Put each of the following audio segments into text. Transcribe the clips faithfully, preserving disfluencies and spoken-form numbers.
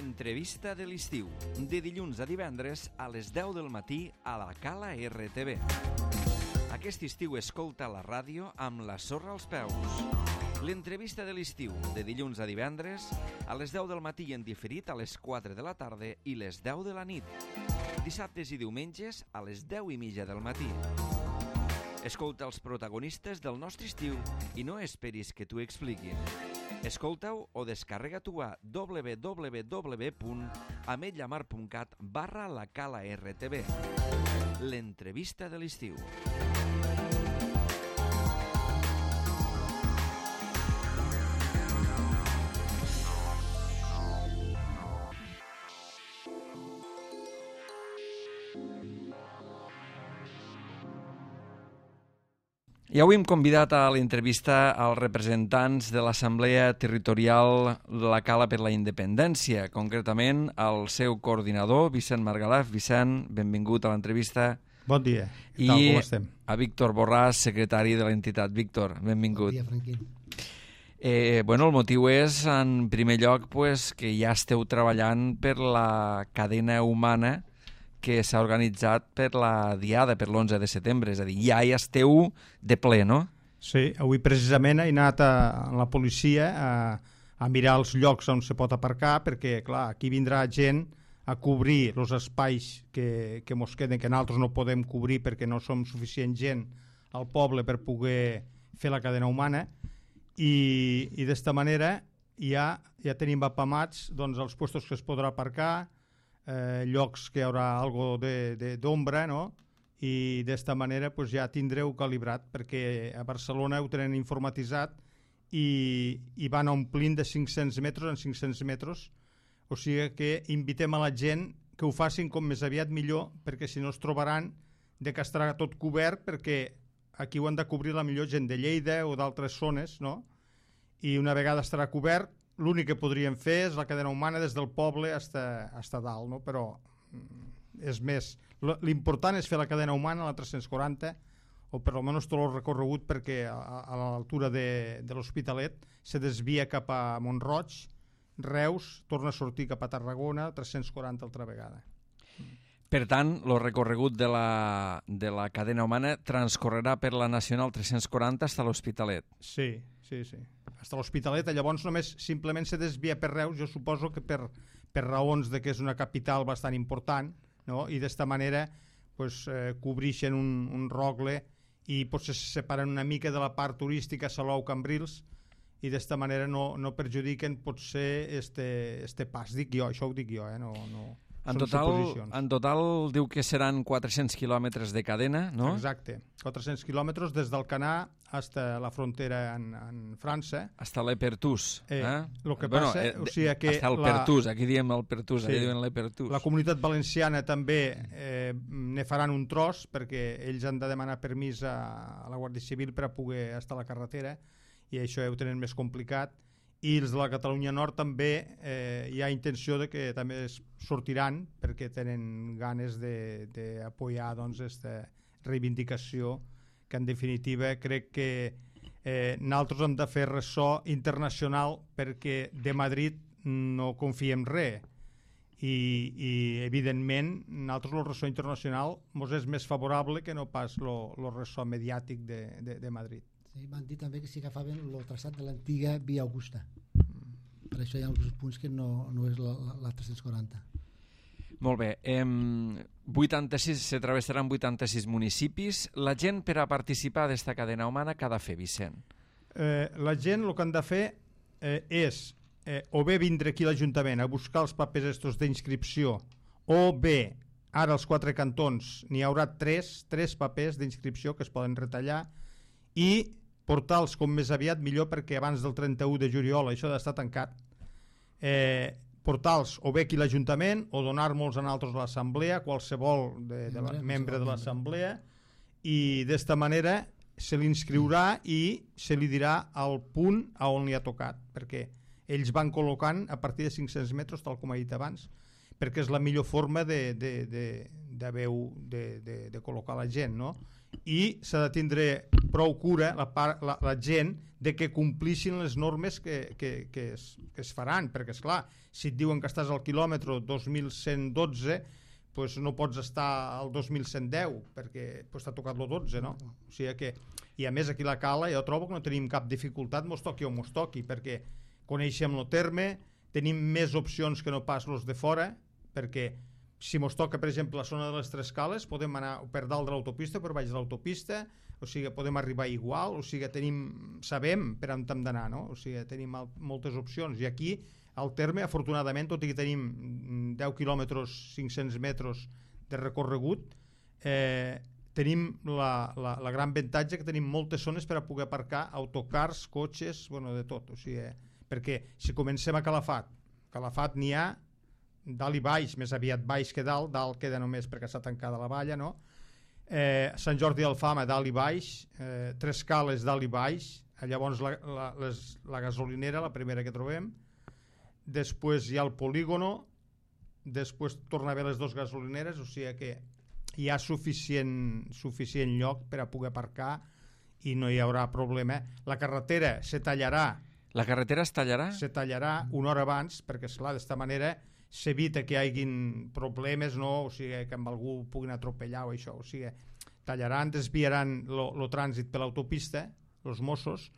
L'entrevista de l'estiu, de dilluns a divendres a les deu del matí a la Cala R T V. Aquest estiu escolta la ràdio amb la sorra als peus. L'entrevista de l'estiu, de dilluns a divendres a les deu del matí i en diferit a les quatre de la tarda i les deu de la nit. Dissabtes i diumenges a les deu i mitja del matí. Escolta els protagonistes del nostre estiu i no esperis que t'ho expliquin. Escolta-ho o descarrega-t'ho a w w w punt ametlllamar punt cat barra la Cala R T V. L'entrevista de l'estiu. I avui hem convidat a l'entrevista als representants de l'Assemblea Territorial de la Cala per la Independència, concretament al seu coordinador, Vicent Margalef. Vicent, benvingut a l'entrevista. Bon dia. I tal, com estem? A Víctor Borràs, secretari de l'entitat. Víctor, benvingut. Bon dia, Franquín. Eh, bueno, el motiu és, en primer lloc, pues, que ja esteu treballant per la cadena humana que s'ha organitzat per la Diada, per l'onze de setembre, és a dir, ja hi esteu de ple, no? Sí, avui precisament he anat a, a la policia a, a mirar els llocs on se pot aparcar, perquè, clar, aquí vindrà gent a cobrir els espais que, que mos queden, que nosaltres no podem cobrir perquè no som suficient gent al poble per poder fer la cadena humana, i, i d'esta manera ja, ja tenim apamats doncs, els puestos que es podrà aparcar, Eh, llocs que hi haurà algo d'ombra, no? I d'esta manera pues, ja tindreu calibrat, perquè a Barcelona ho tenen informatitzat i, i van omplint de cinc-cents metres en cinc-cents metres, o sigui que invitem a la gent que ho facin com més aviat millor, perquè si no es trobaran de que estarà tot cobert, perquè aquí ho han de cobrir la millor gent de Lleida o d'altres zones, no? I una vegada estarà cobert, l'únic que podríem fer és la cadena humana des del poble fins a dalt, no? Però és més, l'important és fer la cadena humana a la tres-cents quaranta, o per almenys tot el recorregut, perquè a, a l'altura de, de l'Hospitalet se desvia cap a Mont-roig, Reus, torna a sortir cap a Tarragona, tres-cents quaranta altra vegada. Per tant, el recorregut de la, de la cadena humana transcorrerà per la Nacional tres-cents quaranta fins a l'Hospitalet. Sí, sí, sí. Fins a l'Hospitalet, llavors només simplement se desvia per Reus, jo suposo que per, per raons de que és una capital bastant important, no? I d'esta manera pues, eh, cobreixen un, un rogle i potser se separen una mica de la part turística Salou, Cambrils, i d'esta manera no, no perjudiquen potser este, este pas. Dic jo, això ho dic jo, eh? no... no. En total, en total diu que seran quatre-cents quilòmetres de cadena, no? Exacte, quatre-cents quilòmetres des d'Alcanar fins a la frontera en, en França. Hasta l'Epertús. Eh, eh? Lo que bueno, passa, eh, o sigui que... Hasta el la... Pertús, aquí diem el Pertús, sí. aquí diuen l'Epertús. La Comunitat Valenciana també eh, ne faran un tros, perquè ells han de demanar permís a, a la Guàrdia Civil per a poder estar a la carretera, i això ho tenen més complicat. I els de la Catalunya Nord també eh, hi ha intenció de que també sortiran, perquè tenen ganes d'apoyar doncs, aquesta reivindicació, que en definitiva crec que eh, nosaltres hem de fer ressò internacional, perquè de Madrid no confiem res, i, i evidentment nosaltres el ressò internacional ens és més favorable que no pas el ressò mediàtic de, de, de Madrid. Sí, m'han dit també que s'hi agafaven el traçat de l'antiga Via Augusta. Per això hi ha alguns punts que no, no és la, la tres-cents quaranta. Molt bé. Eh, vuitanta-sis, se travessaran vuitanta-sis municipis. La gent per a participar d'esta cadena humana què ha de fer, Vicent? Eh, la gent el que han de fer eh, és eh, o bé vindre aquí a l'Ajuntament a buscar els papers estos d'inscripció, o bé, ara als quatre cantons n'hi haurà tres, tres papers d'inscripció que es poden retallar, i portar-los com més aviat millor, perquè abans del trenta-u de juliol això ha d'estar tancat. Eh, portar-los o bé aquí a l'Ajuntament o donar-nos a nosaltres a l'Assemblea, qualsevol de, de la, membre de l'Assemblea, i d'esta manera se li inscriurà i se li dirà el punt a on li ha tocat, perquè ells van col·locant a partir de cinc-cents metres, tal com he dit abans, perquè és la millor forma de, de, de, de, de, de, de col·locar la gent, no? I s'ha de tindre prou cura la, part, la, la gent de que complissin les normes que, que, que, es, que es faran, perquè és clar, si et diuen que estàs al quilòmetre dos mil cent dotze, pues no pots estar al dos mil cent deu perquè pues, t'ha tocat el dotze, no? O sigui que, i a més aquí a la Cala jo trobo que no tenim cap dificultat, mos toqui o mos toqui, perquè coneixem el terme, tenim més opcions que no pas los de fora, perquè si mos toca, per exemple, la zona de les Tres Cales, podem anar per dalt de l'autopista, per baix de l'autopista, o sigui, podem arribar igual, o sigui, tenim, sabem per on hem d'anar, no? O sigui, tenim moltes opcions, i aquí al terme, afortunadament, tot i que tenim deu quilòmetres, cinc-cents metres de recorregut, eh, tenim la, la, la gran avantatge que tenim moltes zones per a poder aparcar autocars, cotxes, bueno, de tot, o sigui, perquè si comencem a Calafat, Calafat n'hi ha dalt i baix, més aviat baix que dalt, dalt queda només perquè està tancada la valla, no? Eh, Sant Jordi d'Alfama dalt i baix, eh, Tres Cales dalt i baix, llavors la, la, les, la gasolinera, la primera que trobem, després hi ha el polígono, després torna a haver les dues gasolineres, o sigui que hi ha suficient, suficient lloc per a poder aparcar i no hi haurà problema. La carretera se tallarà. La carretera es tallarà? Se tallarà una hora abans, perquè esclar, d'esta manera s'evita que hi hagin problemes, no? O sigui, que amb algú puguin atropellar o això, o sigui, tallaran, desviaran el trànsit per l'autopista, els Mossos,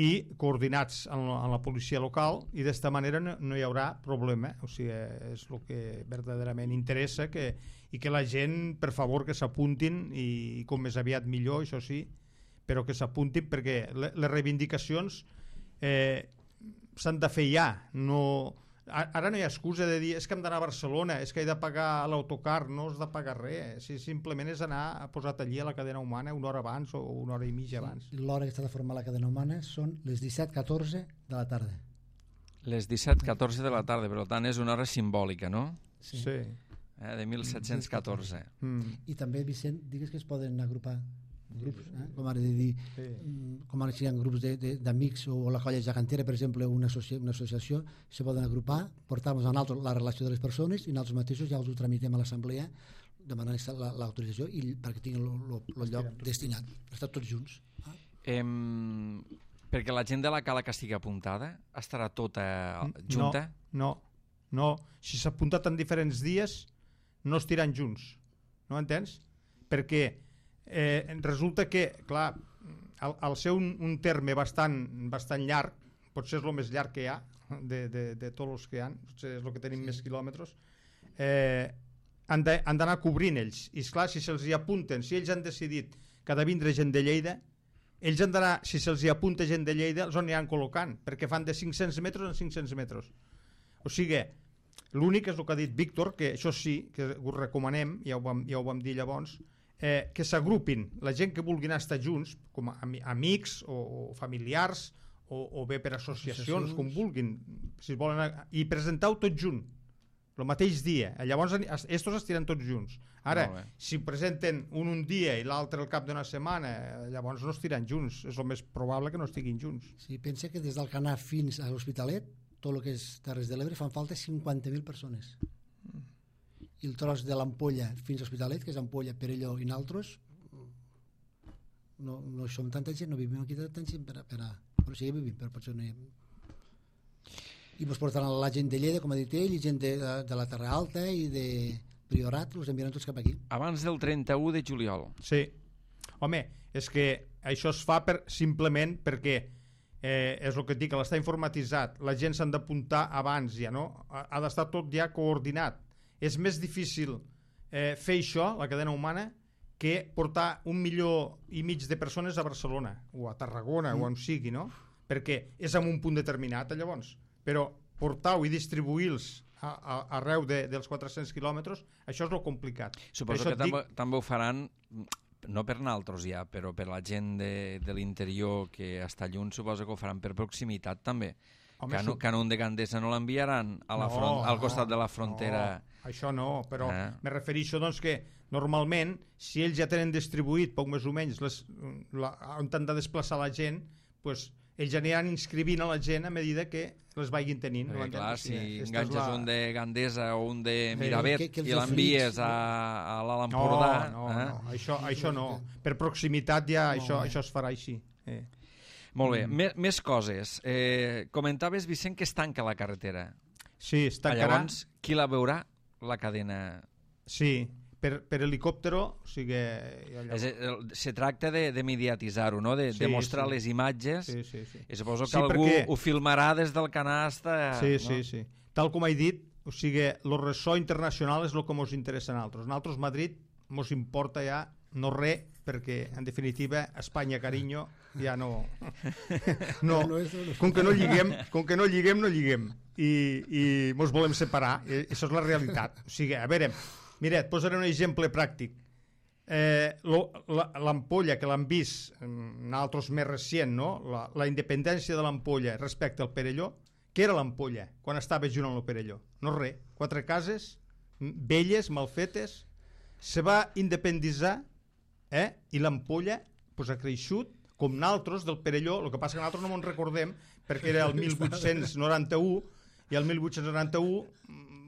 i coordinats amb la, amb la policia local, i d'esta manera no, no hi haurà problema, o sigui, és el que verdaderament interessa, que, i que la gent, per favor, que s'apuntin, i, i com més aviat millor, això sí, però que s'apuntin, perquè les, les reivindicacions eh, s'han de fer ja, no... Ara no hi ha excusa de dir és que hem d'anar a Barcelona, és que he de pagar l'autocar, no has de pagar res, si simplement és anar a posar allí a la cadena humana una hora abans o una hora i mitja abans. Sí, l'hora que està de formar la cadena humana són les disset catorze de la tarda. Les disset catorze de la tarda, per tant és una hora simbòlica, no? Sí. sí. Eh, de mil set-cents catorze. Mm. I també, Vicent, digues que es poden agrupar grups, eh? com ara de dir, sí. com ara si hi ha grups d'amics o la colla gegantera, per exemple, una, associ una associació, se poden agrupar, portar-nos a nosaltres la relació de les persones i nosaltres mateixos ja els ho tramitem a l'assemblea demanant l'autorització i perquè tinguin el lloc destinat, estar tots junts. Ah? Em, perquè la gent de la Cala que estigui apuntada estarà tota junta? No, no, no. Si s'ha apuntat en diferents dies no estiran junts, no entens? Perquè Eh, resulta que, clar, al, al ser un, un terme bastant, bastant llarg, potser és el més llarg que hi ha de, de, de tots els que hi ha, potser és el que tenim sí. més quilòmetres, eh, han d'anar cobrint ells, i esclar, si se'ls hi apunten, si ells han decidit que ha de vindre gent de Lleida, ells han d'anar, si se'ls hi apunta gent de Lleida, els aniran col·locant, perquè fan de cinc-cents metres en cinc-cents metres. O sigui, l'únic és el que ha dit Víctor, que això sí, que ho recomanem, ja ho vam, ja ho vam dir llavors, Eh, que s'agrupin la gent que vulguin estar junts com a amics o, o familiars o, o bé per associacions, associacions com vulguin, si volen, i presentar-ho tot junt el mateix dia, llavors estos estiran tots junts. Ara, si presenten un un dia i l'altre al cap d'una setmana, llavors no estiran junts, és el més probable que no estiguin junts. Sí, pensa que des del Canà fins a l'Hospitalet, tot el que és Terres de l'Ebre, fan falta cinquanta mil persones. I el tros de l'Ampolla fins a l'Hospitalet, que és Ampolla, Perelló i naltros, no, no som tanta gent, no vivim aquí tanta gent per a... Per a però sí que vivim, però potser no hi ha... I ens portaran la gent de Lleida, com ha dit ell, i gent de, de, de la Terra Alta i de Priorat, els enviaran tots cap aquí. Abans del trenta-u de juliol. Sí. Home, és que això es fa per, simplement perquè eh, és el que et dic, que l'està informatitzat, la gent s'han d'apuntar abans ja, no? Ha, ha d'estar tot ja coordinat. És més difícil eh, fer això, la cadena humana, que portar un milió i mig de persones a Barcelona o a Tarragona mm. o on sigui, no? Perquè és en un punt determinat, llavors. Però portar-ho i distribuir-los a, a, arreu de, dels quatre-cents quilòmetres, això és el complicat. Suposo que també, dic... també ho faran, no per naltros ja, però per la gent de, de l'interior que està lluny, suposo que ho faran per proximitat també. Home, Cano, Canun de Gandesa no l'enviaran a la no, front, al costat no, de la frontera. No, això no, però eh. me refereixo doncs que normalment, si ells ja tenen distribuït poc més o menys les, la, on han de desplaçar la gent, pues, ells aniran inscrivint a la gent a medida que les vagin tenint. Perquè, clar, si enganxes la... un de Gandesa o un de Miravet eh, que, que i l'envies a, a l'Alt Empordà... No, no, eh? no, això, això no. Per proximitat ja no, això, eh. això es farà així. Eh. Molt bé, mm. més coses. Eh, comentaves, Vicent, que es tanca la carretera. Sí, es tancarà. Llavors, qui la veurà, la cadena? Sí, per, per helicòptero, o sigui... Allò... Es, se tracta de, de mediatitzar-ho, no? De, sí, de mostrar sí. les imatges, sí, sí, sí. i suposo que sí, algú perquè... ho filmarà des del canasta. Sí, no? sí, sí. Tal com he dit, o sigui, el ressò internacional és el que ens interessa a nosaltres. A nosaltres, Madrid, ens importa ja no res, perquè, en definitiva, Espanya, carinyo, ja no... no. Com que no lliguem, com que no lliguem, no lliguem. I, i ens volem separar. I això és la realitat. O sigui, a veure, mira, et posaré un exemple pràctic. Eh, l'ampolla, que l'han vist nosaltres més recient, no? La, la independència de l'ampolla respecte al Perelló, què era l'ampolla quan estava junt amb el Perelló? No res, quatre cases velles, mal fetes, se va independitzar, eh? I l'ampolla pues, ha creixut com nosaltres del Perelló. El que passa que nosaltres no ens recordem perquè era el mil vuit-cents noranta-u i el mil vuit-cents noranta-u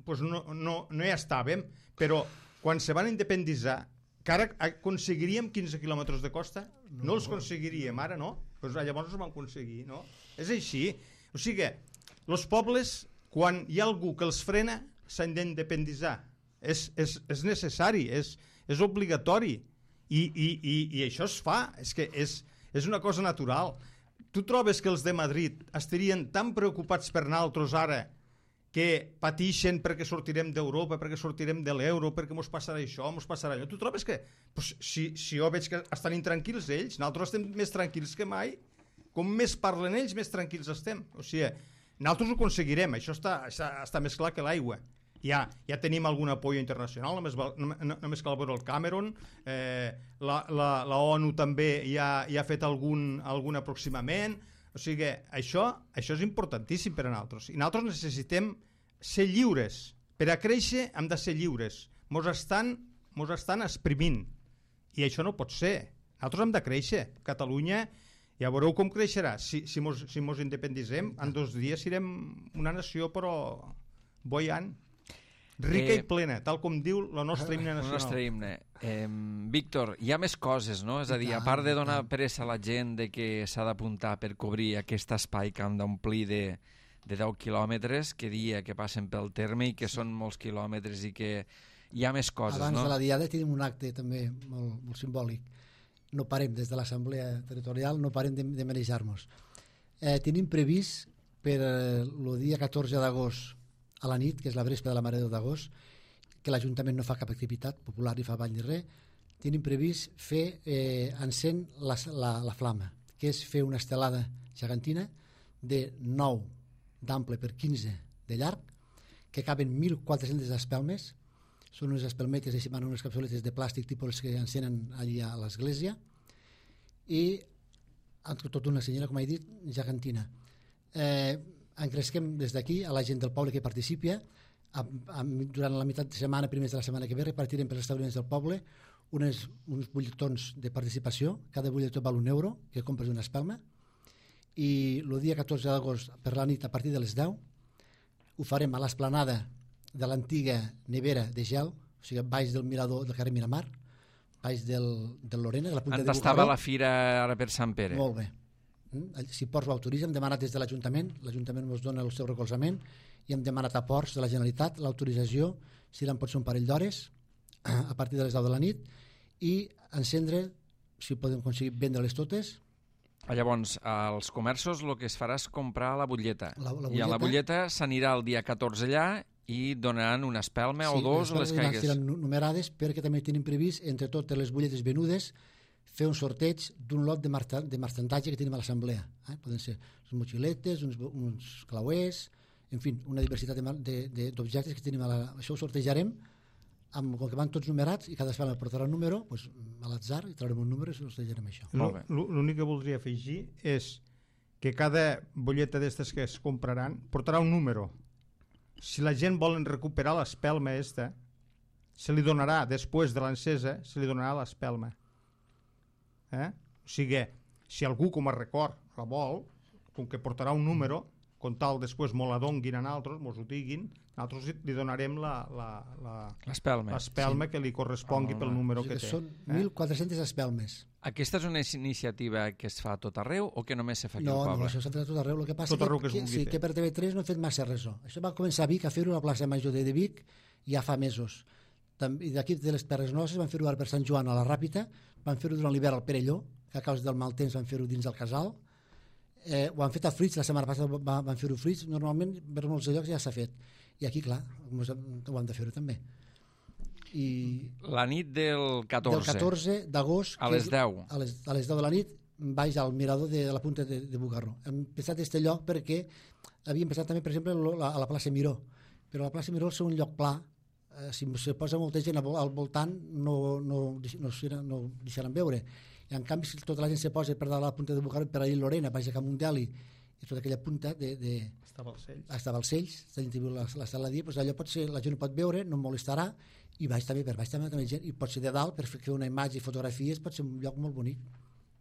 pues, no, no, no hi estàvem, però quan se van independitzar, que ara aconseguiríem quinze quilòmetres de costa, no, no els aconseguiríem ara, no? Pues, llavors els vam aconseguir, no? És així. O sigui, els pobles, quan hi ha algú que els frena, s'han d'independitzar. És, és, és necessari, és, és obligatori. I, i, i, i això es fa, és que és, és una cosa natural. Tu trobes que els de Madrid estarien tan preocupats per nosaltres ara que patixen perquè sortirem d'Europa, perquè sortirem de l'euro, perquè mos passarà això, mos passarà allò. Tu trobes que, pues, si, si jo veig que estan intranquils ells, nosaltres estem més tranquils que mai, com més parlen ells, més tranquils estem. O sigui, nosaltres ho aconseguirem, això està, està, està més clar que l'aigua. Ja, ja tenim algun apoyo internacional, només, no, només cal veure el Cameron, eh, la, la, la ONU també ja, ja ha fet algun, algun aproximament, o sigui, això, això és importantíssim per a nosaltres. I nosaltres necessitem ser lliures. Per a créixer hem de ser lliures. Mos estan, mos estan exprimint. I això no pot ser. Nosaltres hem de créixer. Catalunya, ja veureu com creixerà. Si, si, mos, si mos independitzem, en dos dies serem una nació, però boiant. Rica eh, i plena, tal com diu la nostra himne nacional. El nostre himne. Eh, Víctor, hi ha més coses, no? És a dir, a part de donar pressa a la gent de que s'ha d'apuntar per cobrir aquest espai que han d'omplir de, de deu quilòmetres, que dia que passen pel terme i que sí. Són molts quilòmetres i que hi ha més coses, Abans no? Abans de la diada tenim un acte també molt, molt simbòlic. No parem des de l'Assemblea Territorial, no parem de, de manejar-nos. Eh, tenim previst per el dia catorze d'agost a la nit, que és la vespa de la Mare de Déu d'agost, que l'Ajuntament no fa cap activitat popular ni fa ball ni res, tenim previst fer eh, encén la, la, la flama, que és fer una estelada gegantina de nou d'ample per quinze de llarg, que caben mil quatre-centes espelmes, són unes espelmetes, així van unes capsuletes de plàstic tipus que encenen allà a l'església, i tot una senyora, com he dit, gegantina. Eh, encresquem des d'aquí a la gent del poble que participi. A, a, durant la meitat de setmana, primers de la setmana que ve, repartirem per els establiments del poble unes, uns butlletons de participació. Cada butlletó val un euro, que compres una espelma, i el dia catorze d'agost per la nit a partir de les deu ho farem a l'esplanada de l'antiga nevera de gel, o sigui, baix del mirador del carrer Miramar, baix del, del Lorena, de la punta de Bujaró. On estava la fira ara per Sant Pere? Molt bé. Si Ports ho autoritza, hem demanat des de l'Ajuntament, l'Ajuntament ens dona el seu recolzament, i hem demanat a Ports de la Generalitat l'autorització, si l'en pot ser un parell d'hores, a partir de les deu de la nit, i encendre, si podem aconseguir vendre-les totes. Llavors, als comerços el que es farà és comprar la butlleta, la, la butlleta. I a la butlleta s'anirà el dia catorze allà i donaran una espelma sí, o dos les caigues. Sí, les numerades, perquè també tenim previst, entre totes les butlletes venudes, fer un sorteig d'un lot de, de marxandatge que tenim a l'assemblea. Eh? Poden ser unes motxiletes, uns, uns clauers, en fi, una diversitat d'objectes que tenim a la... Això ho sortejarem, amb, com que van tots numerats, i cada espelma portarà un número, doncs, a l'atzar, i traurem un número i sortejarem això. L'únic que voldria afegir és que cada butlleta d'estes que es compraran portarà un número. Si la gent volen recuperar l'espelma esta, se li donarà, després de l'encesa, se li donarà l'espelma. Eh? O sigui, si algú com a record la vol, com que portarà un número, com tal després mos la donguin a nosaltres, mos ho diguin, nosaltres li donarem l'espelma sí. que li correspongui pel número o sigui que té. Són eh? mil quatre-centes espelmes. Aquesta és una iniciativa que es fa a tot arreu o que només se fa aquí no, al poble? No, això s'ha fet a tot arreu. El que passa tot arreu que, que, que, sí, que per T V tres no hem fet massa res. Això va començar a Vic, a fer-ho a la plaça Major de Vic ja fa mesos. I d'aquí de les Terres Nostres van fer-ho per Sant Joan a la Ràpita, van fer-ho durant l'hivern al Perelló, que a causa del mal temps van fer-ho dins del casal. Eh, ho han fet a Fruits, la setmana passada van fer-ho Fruits, normalment per molts llocs ja s'ha fet, i aquí clar ho hem de fer-ho també. I la nit del catorze, del catorze d'agost a les deu a les, a les deu de la nit baix al mirador de, de la punta de, de Bugarró. Hem pensat aquest lloc perquè havíem pensat també per exemple a la plaça Miró, però la plaça Miró és un lloc pla, eh, si se posa molta gent al voltant no, no, no, no, no deixaran veure. I en canvi, si tota la gent se posa per dalt a la punta de Bugarró, per ahir Lorena, baix a Camundeli, i tota aquella punta de... de està a Balcells. Està a Balcells, la gent viu la, la sala dia, doncs allò pot ser, la gent ho pot veure, no molestarà, i baix també, per baix també, també gent, i pot ser de dalt, per fer una imatge i fotografies, pot ser un lloc molt bonic.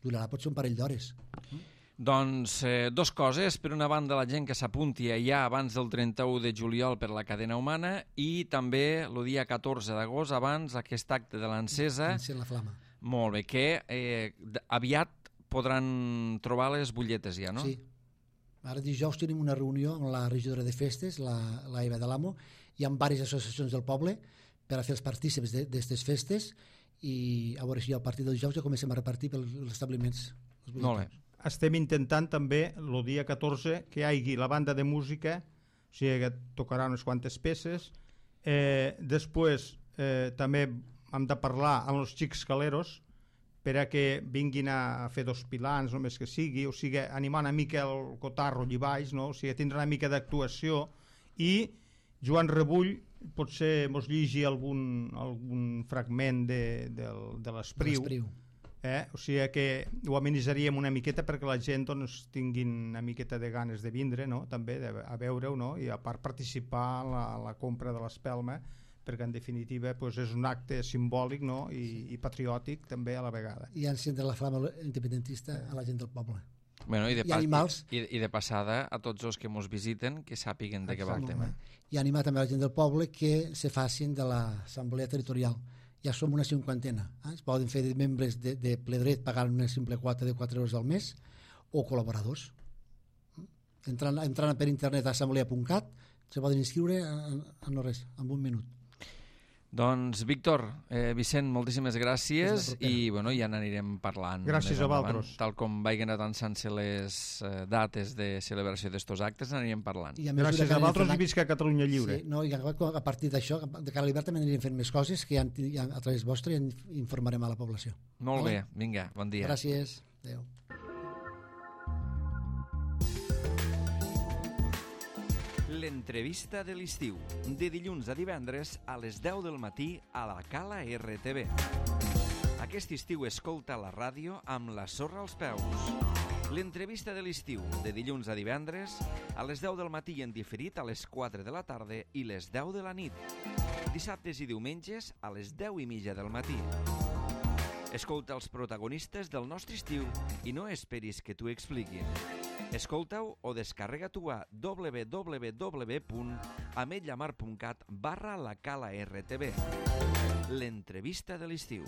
Durarà, pot ser un parell d'hores. Mm? Doncs eh, dos coses. Per una banda, la gent que s'apunti ja abans del trenta-u de juliol per la cadena humana i també el dia catorze d'agost, abans aquest acte de l'encesa. Encén la flama. Molt bé, que eh, aviat podran trobar les butlletes ja, no? Sí. Ara dijous tenim una reunió amb la regidora de festes, la, la Eva de l'Amo, hi ha diverses associacions del poble per a fer els partícips d'aquestes festes i a veure si al partir del dijous ja comencem a repartir pels establiments. Molt bé. Estem intentant també el dia catorze que hi hagi la banda de música, o sigui que tocarà unes quantes peces. Eh, després eh, també hem de parlar amb els xics caleros per a que vinguin a fer dos pilans, només que sigui, o sigui, animar una mica el cotarro allà baix, no? O sigui, tindrà una mica d'actuació, i Joan Rebull potser mos lligi algun, algun fragment de, de, de l'Espriu, eh? O sigui que ho amenitzaríem una miqueta perquè la gent doncs, tinguin una miqueta de ganes de vindre, no? També de, a veure-ho, no? I a part participar en la, la compra de l'espelma, perquè en definitiva pues, és un acte simbòlic, no? I, i patriòtic també a la vegada. I encendre la flama independentista a la gent del poble. Bueno, i, de I animals. I, i de passada a tots els que ens visiten que sàpiguen de què va el tema. I animar també la gent del poble que se facin de l'assemblea territorial. Ja som una cinquantena. Eh? Es poden fer de membres de, de ple dret pagant una simple quota de quatre euros al mes o col·laboradors. Entrant, entrant per internet a assemblea punt cat se poden inscriure en, en no res, en un minut. Doncs, Víctor, eh, Vicent, moltíssimes gràcies i bueno, ja n'anirem parlant. Gràcies a vosaltres. Tal com vagin avançant-se les eh, dates de celebració d'estos actes, n'anirem parlant. I a gràcies a vosaltres i visca Catalunya Lliure. Sí, no, i a partir d'això, de cara a l'hivern també anirem fent més coses que ja, ja a través vostre ja informarem a la població. Molt vale? bé, vinga, bon dia. Gràcies, adéu. L'entrevista de l'estiu, de dilluns a divendres a les deu del matí a la Cala R T V. Aquest estiu escolta la ràdio amb la sorra als peus. L'entrevista de l'estiu, de dilluns a divendres a les deu del matí en diferit a les quatre de la tarda i les deu de la nit. Dissabtes i diumenges a les deu i mitja del matí. Escolta els protagonistes del nostre estiu i no esperis que t'ho expliquin. Escolta-ho o descarrega-t'ho a w w w punt ametlllamar punt cat barra la Cala R T V. L'entrevista de l'estiu.